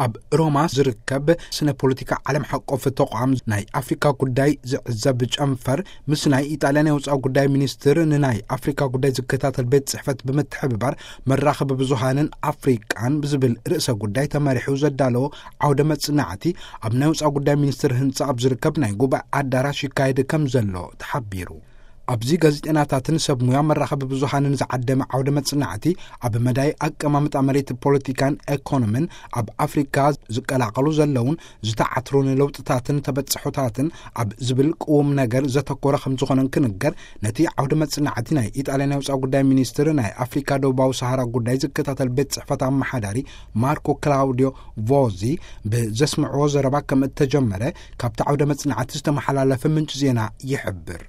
ኣብ ሮማ ዝርከብ ስነ ፖለቲካ ዓለም ሓቆፍ ተቋም ናይ ኣፍሪካ ጉዳይ ዝዕዘብ ጨንፈር ምስ ናይ ኢጣልያ ናይ ወፃኢ ጉዳይ ሚኒስትር ንናይ ኣፍሪካ ጉዳይ ዝከታተል ቤት ጽሕፈት ብምትሕብባር መራኸቢ ብዙሃንን ኣፍሪቃን ብዝብል ርእሰ ጉዳይ ተመሪሑ ዘዳለዎ ዓውደ መጽናዕቲ ኣብ ናይ ወፃኢ ጉዳይ ሚኒስትር ህንፃ ኣብ ዝርከብ ናይ ጉባኤ ኣዳራሽ ይካየድ ከም ዘሎ ተሓቢሩ። ኣብዚ ጋዜጠናታትን ሰብ ሙያ መራኸቢ ብዙሃንን ዝዓደመ ዓውደ መጽናዕቲ ኣብ መዳይ ኣቀማምጣ መሬት፣ ፖለቲካን ኤኮኖምን ኣብ ኣፍሪካ ዝቀላቀሉ ዘለውን ዝተዓትሩን ለውጥታትን ተበጽሖታትን ኣብ ዝብል ቅውም ነገር ዘተኮረ ከም ዝኾነን ክንገር፣ ነቲ ዓውደ መጽናዕቲ ናይ ኢጣልያ ናይ ወፃኢ ጉዳይ ሚኒስትር ናይ ኣፍሪካ ደቡባዊ ሰሃራ ጉዳይ ዝከታተል ቤት ጽሕፈት ኣመሓዳሪ ማርኮ ክላውዲዮ ቮዚ ብዘስምዕዎ ዘረባ ከም እተጀመረ ካብቲ ዓውደ መጽናዕቲ ዝተመሓላለፈ ምንጭ ዜና ይሕብር።